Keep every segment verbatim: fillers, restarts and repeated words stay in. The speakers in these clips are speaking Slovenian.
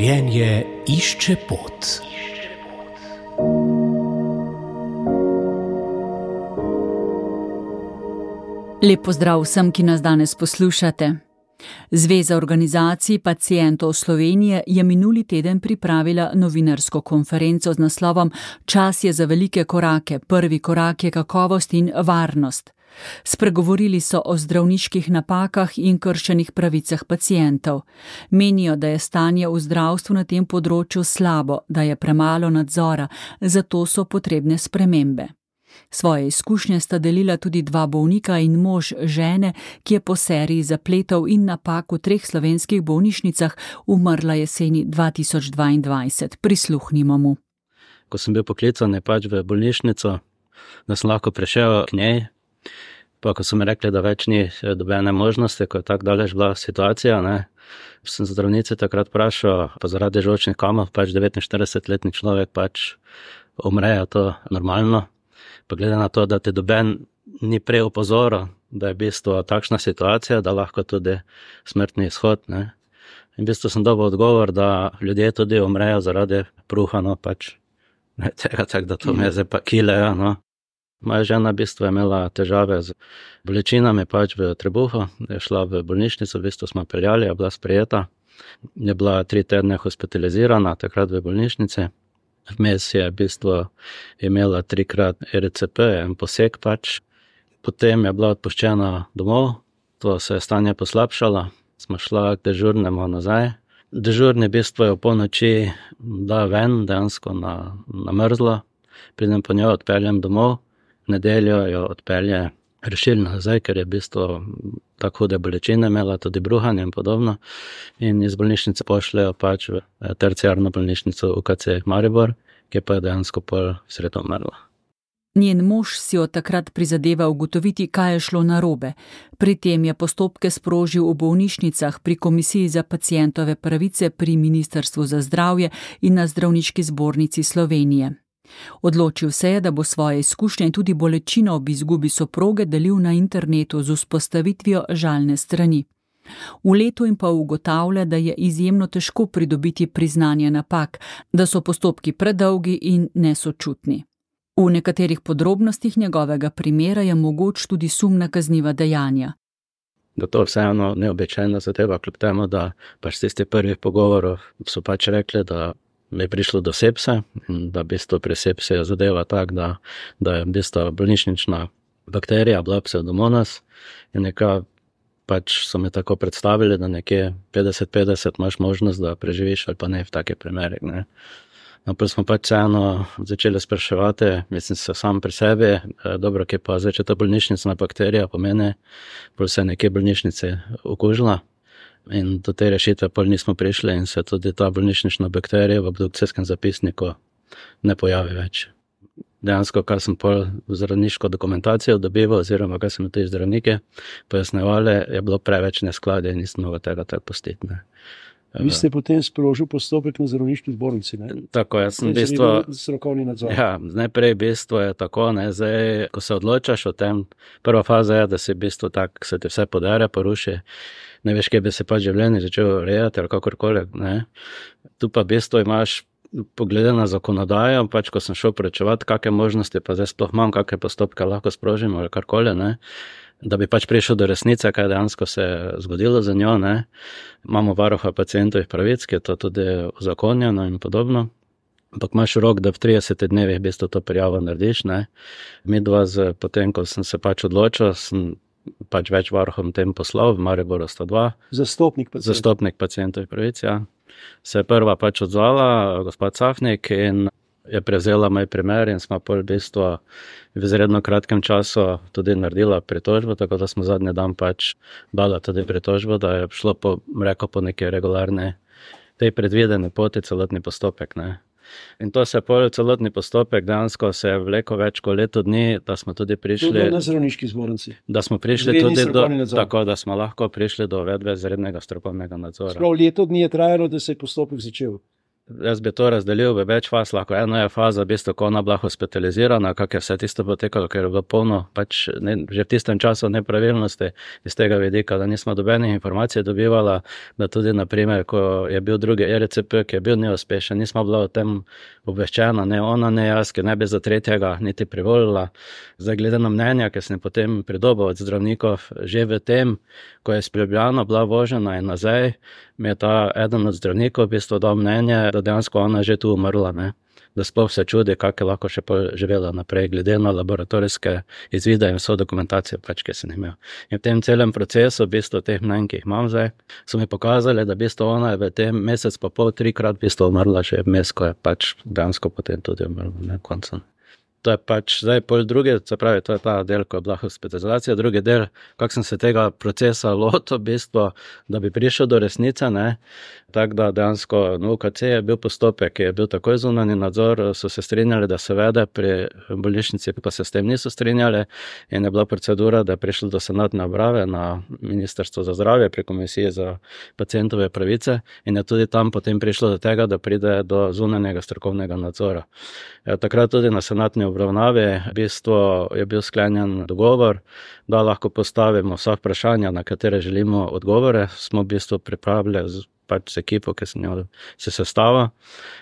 Življenje išče pot. Lep pozdrav vsem, ki nas danes poslušate. Zveza organizacij pacientov Slovenije je minuli teden pripravila novinarsko konferenco z naslovom Čas je za velike korake, prvi korak je kakovost in varnost. Spregovorili so o zdravniških napakah in kršenih pravicah pacientov. Menijo, da je stanje v zdravstvu na tem področju slabo, da je premalo nadzora, zato so potrebne spremembe. Svoje izkušnje sta delila tudi dva bolnika in mož žene, ki je po seriji zapletov in napak v treh slovenskih bolnišnicah umrla jeseni dva tisoč dvaindvajset. Prisluhnimo mu. Ko sem bil poklican je pač v bolnišnico, da sem lahko prišel k njej, pa ko so mi rekli, da več ni dobene možnosti, ko je tako daleč bila situacija, ne, sem zdravnice takrat vprašal, pa zaradi žolčnih kamov, pač devetinštiridesetletni človek pač umrejo, to normalno. Pa glede na to, da te doben ni prej opozoril, da je v bistvu takšna situacija, da lahko tudi smrtni izhod, ne. In v bistvu sem dobil odgovor, da ljudje tudi umrejo zaradi pruha, no pač, ne tega tak, da to me zdaj pa kilejo, no. Moja žena v bistvu je imela težave z bolečinami pač v trebuhu, je šla v bolnišnico, v bistvu smo peljali, je bila sprejeta, je bila tri tedne hospitalizirana, takrat v bolnišnici. Vmes je v bistvu imela trikrat E R C P, en poseg pač. Potem je bila odpuščena domov, to se je stanje poslabšalo, smo šla k dežurnemu nazaj. Dežurni v bistvu je v polnoči da ven, dejansko na, na mrzlo, pridem po njo, odpeljem domov, nedeljo jo odpelje rešilno nazaj, ker je v bistvu tako hude bolečine imela, tudi bruhanje in podobno. In iz bolnišnice pošljejo pač v terciarno bolnišnico U K C Maribor, ki pa je dejansko pol sredo umrla. Njen mož si od takrat prizadeva ugotoviti, kaj je šlo narobe. Pri tem je postopke sprožil v bolnišnicah, pri Komisiji za pacientove pravice pri Ministrstvu za zdravje in na Zdravniški zbornici Slovenije. Odločil se je, da bo svoje izkušnje in tudi bolečino ob izgubi soproge delil na internetu z vzpostavitvijo žalne strani. V letu in pol ugotavlja, da je izjemno težko pridobiti priznanje napak, da so postopki predolgi in nesočutni. V nekaterih podrobnostih njegovega primera je mogoč tudi sum na kazniva dejanja. Da to vseeno neobičajna zadeva, kljub temu, da pač tistih prvih pogovorov so pač rekli, da mi je prišlo do sepse, da v bistvu pri sepsi je zadeva tak, da, da je v bistvu bolnišnična bakterija bila pseudomonas in nekaj pač so mi tako predstavili, da nekje petdeset petdeset imaš možnost, da preživiš ali pa ne v takih primerih, ne. No, pa smo pač vseeno začeli spraševati, mislim se sam pri sebi, dobro, ki pa zdaj, če ta bolnišnicna bakterija pomeni, bolj se je nekje bolnišnice okužila. In do te rešitve pol nismo prišli in se tudi ta bolnišnična bakterija v obdukcijskem zapisniku ne pojavi več. Dejansko, kar sem pol v zdravniško dokumentacijo dobival, oziroma kar sem te zdravnike pojasnjevali, je bilo preveč neskladje in nisem mogel tega tako pustiti, ne. Vi ste potem sprožil postopek na zdravniški zbornici, ne? Tako, jaz sem v bistvu... Strokovni nadzor. Ja, najprej v bistvu je tako, ne, zdaj, ko se odločaš o tem, prva faza je, da si v bistvu tak, se ti vse podere, poruši, ne veš, kje bi se pa življenje začel urejati ali kakorkoli, ne. Tu pa v bistvu imaš poglede na zakonodajo, pač ko sem šel prečevati, kakve možnosti pa zdaj sploh imam, kakve postopke lahko sprožim ali karkoli, ne, da bi pač prišel do resnice, kaj dejansko se je zgodilo za njo, ne. Imamo varuha pacientovih pravic, ki je to tudi uzakonjeno in podobno. Ampak imaš rok, da v tridesetih dnevih v bistvu to prijavo narediš, ne. Midva z, potem, ko sem se pač odločil, sem pač več varuhom tem poslal, v Mariboru sta dva. Zastopnik pacientov. Zastopnik pacientovih pravic, ja. Se je prva pač odzvala, gospod Cafnik, in je prevzela moj primer in smo pol v bistvu v izredno kratkem času tudi naredila pritožbo, tako da smo zadnji dan pač dala tudi pritožbo, da je šlo po, rekel, po neki regularni, tej predvideni poti celotni postopek, ne. In to se pol celotni postopek dejansko se je vlekel več kot leto dni, da smo tudi prišli... Tudi na zdravniški zbornici. Da smo prišli tudi do... Tako, da smo lahko prišli do uvedbe izrednega strokovnega nadzora. Sprav leto dni je trajalo, da se je postopek začel. Jaz bi to razdelil v več faz, lahko ena je faza, v bistvu, ko ona bila hospitalizirana, kako je vse tisto potekalo, ker je bilo polno, pač ne, že v tistem času nepravilnosti iz tega vidika, da nismo dobenih informacij dobivala, da tudi, naprimer, ko je bil drugi E R C P, ki je bil neuspešen, nismo bila o tem obveščena, ne ona, ne jaz, ki ne bi za tretjega niti privolila. Zdaj, glede na mnenja, ki sem potem pridobil od zdravnikov, že v tem, ko je sprebljana bila vožena in nazaj, mi je ta eden od zdravnikov v bistvu dal mnenje, da dejansko ona že tu umrla, ne? Da sploh se čudi, kako je lahko še živela naprej, glede na laboratorijske izvide in vso dokumentacijo, pač, ki sem imel. In v tem celem procesu, v bistvu teh mnenj, ki jih imam zdaj, so mi pokazali, da v bistvu ona je v tem mesec pa pol, trikrat v bistvu umrla že vmes, ko je pač dejansko potem tudi umrla, ne, koncem. To je pač zdaj pol drugi, se pravi, to je ta del, ko je bila hospitalizacija, drugi del, kako sem se tega procesa lotil, v bistvu, da bi prišel do resnice, ne, tako da dejansko na U K C je bil postopek, ki je bil takoj zunanji nadzor, so se strinjali, da se vede pri bolnišnici, pa se s tem niso strinjali in je bila procedura, da je prišlo do senatne obrave na Ministrstvo za zdravje pri Komisiji za pacientove pravice in je tudi tam potem prišlo do tega, da pride do zunanjega strokovnega nadzora. Takrat tudi na senatni obravnavi v bistvu je bil sklenjen dogovor, da lahko postavimo vsa vprašanja, na katere želimo odgovore. Smo v bistvu pripravili z, pač z ekipo, ki se njo se sestava,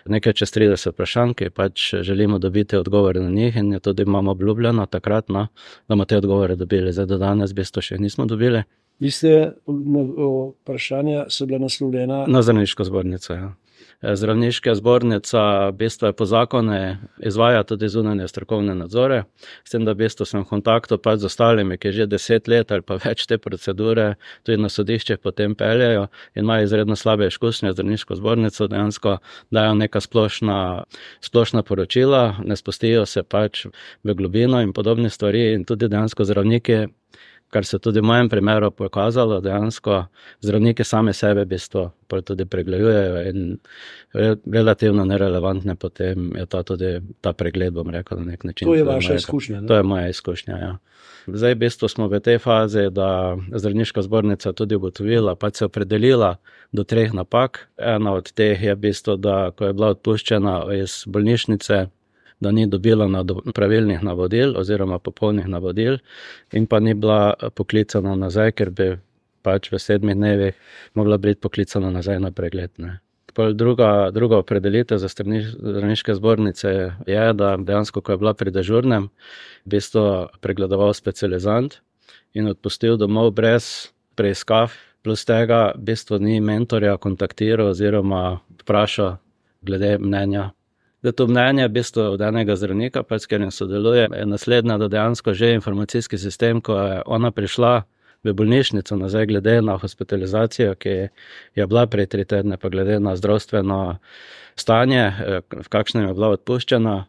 nekaj čez trideset vprašanj, ki pač želimo dobiti odgovore na njih in je tudi imamo obljubljeno takrat, no, da bomo te odgovore dobili. Zdaj do danes v bistvu še nismo dobili. Vi ste vprašanja so bila naslovljena na Zdravniško zbornico, ja. Zdravniška zbornica v bistvu po zakonu izvaja tudi zunanje strokovne nadzore, s tem, da v bistvu sem v kontaktu pač z ostalimi, ki že deset let ali pa več te procedure tudi na sodiščih potem peljejo in imajo izredno slabe izkušnje z Zdravniško zbornico, dejansko dajo neka splošna, splošna poročila, ne spustijo se pač v globino in podobne stvari in tudi dejansko zdravniki, kar se tudi v mojem primeru pokazalo, dejansko zdravniki sami sebe v bistvu tudi pregledujejo in relativno nerelevantne potem je ta tudi ta pregled, bom rekel, na nek način. To je vaša izkušnja, ne? To je moja izkušnja, ja. Zdaj v bistvu smo v tej fazi, da Zdravniška zbornica tudi ugotovila, pač se opredelila do treh napak. Ena od teh je v bistvu, da ko je bila odpuščena iz bolnišnice, da ni dobila pravilnih navodil oziroma popolnih navodil in pa ni bila poklicana nazaj, ker bi pač v sedmih dnevih mogla biti poklicana nazaj na pregled, ne. Druga, druga opredelitev za Zdravniške zbornice je, da dejansko, ko je bila pri dežurnem, v bistvu pregledoval specializant in odpustil domov brez preiskav, plus tega v bistvu ni mentorja kontaktiral oziroma vprašal glede mnenja. Da to mnenje v bistvu od enega zdravnika, pa s katerim sodeluje, je naslednja, da dejansko že informacijski sistem, ko je ona prišla v bolnišnico nazaj glede na hospitalizacijo, ki je bila prej tri tedne, pa glede na zdravstveno stanje, v kakšnem je bila odpuščena,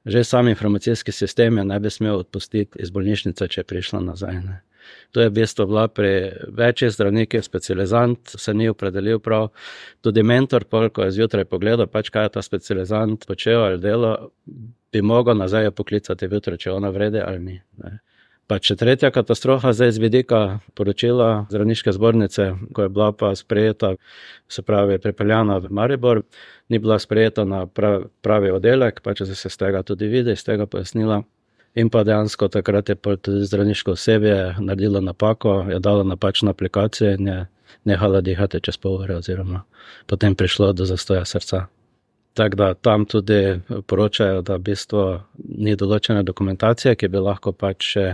že sam informacijski sistem je ne bi smel odpustiti iz bolnišnice, če je prišla nazaj, ne. To je v bistvu bila pri večjih zdravnikih, specializant se ni opredelil prav, tudi mentor, ko je zjutraj pogledal, pač kaj je ta specializant počel ali delo, bi mogel nazaj poklicati jutro, če ona vrede ali ni, ne. Pa še tretja katastrofa zdaj z vidika poročila Zdravniške zbornice, ko je bila pa sprejeta, se pravi pripeljana v Maribor, ni bila sprejeta na pravi oddelek, pač se z tega tudi vidi, iz tega pojasnila. In pa dejansko takrat je tudi zdravniško osebje naredilo napako, je dalo napačno aplikacijo in je nehala dihati čez pol ure oziroma potem prišlo do zastoja srca. Tako da tam tudi poročajo, da v bistvu ni določene dokumentacije, ki bi lahko pač še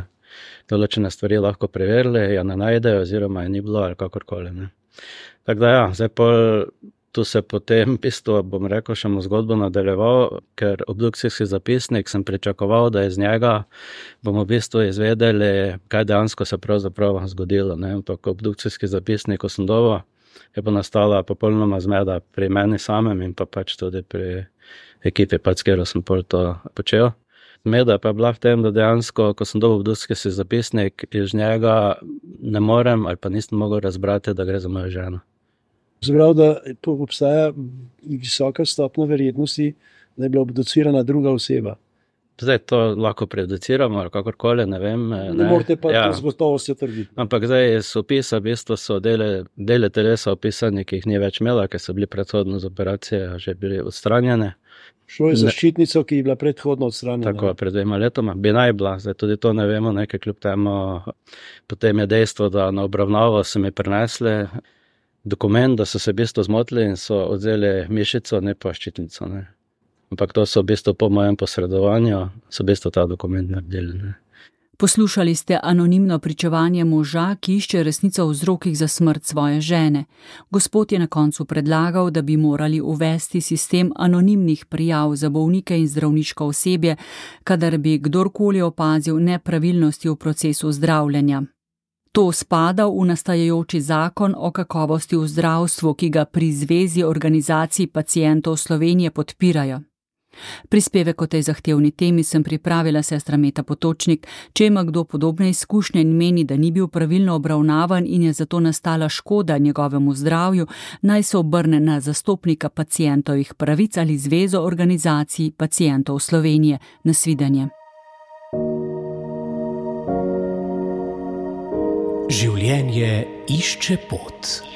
določene stvari lahko preverili, ja ne najdejo oziroma je ni bilo ali kakorkoli, ne. Tako da ja, zdaj pol tu se potem v bistvu, bom rekel, še mu zgodbo nadaljeval, ker obdukcijski zapisnik sem pričakoval, da iz njega bomo v bistvu izvedeli, kaj dejansko se pravzaprav zgodilo, ne. Ampak obdukcijski zapisnik, ko sem dobil, je pa nastala popolnoma zmeda pri meni samem in pa pač tudi pri ekipi, pač, s katero sem pol to počel. Zmeda pa je bila v tem, da dejansko, ko sem dobil obdukcijski zapisnik, iz njega ne morem ali pa nisem mogel razbrati, da gre za mojo ženo. Zbrav, da obstaja visoka stopnja verjetnosti, da je bila obducirana druga oseba. Zdaj to lahko prejudiciramo ali kakorkoli, ne vem. Ne, Ne morete pa ja. z gotovostjo trditi. Ampak zdaj iz opisa v bistvu so dele, dele telesa opisani, ki jih ni več imela, ker so bili predhodno z operacije že bili odstranjene. Šlo je za Ne. ščitnico, ki je bila predhodno odstranjena. Tako, pred dvema letoma bi naj bila, zdaj tudi to ne vemo, nekaj kljub temu. Potem je dejstvo, da na obravnavo so mi prinesli dokument, da so se v bistvu zmotili in so odzeli mišico, ne pa ščitnico. Ne. Ampak to so v bistvu po mojem posredovanju, so v bistvu ta dokument naredili. Ne. Poslušali ste anonimno pričevanje moža, ki išče resnico o vzrokih za smrt svoje žene. Gospod je na koncu predlagal, da bi morali uvesti sistem anonimnih prijav za bolnike in zdravniško osebje, kadar bi kdorkoli opazil nepravilnosti v procesu zdravljenja. To spada v nastajajoči zakon o kakovosti v zdravstvu, ki ga pri Zvezi organizacij pacientov Slovenije podpirajo. Prispevek o tej zahtevni temi sem pripravila sestra Meta Potočnik. Če ima kdo podobne izkušnje in meni, da ni bil pravilno obravnavan in je zato nastala škoda njegovemu zdravju, naj se obrne na zastopnika pacientovih pravic ali Zvezo organizacij pacientov Slovenije. Nasvidenje. Življenje išče pot.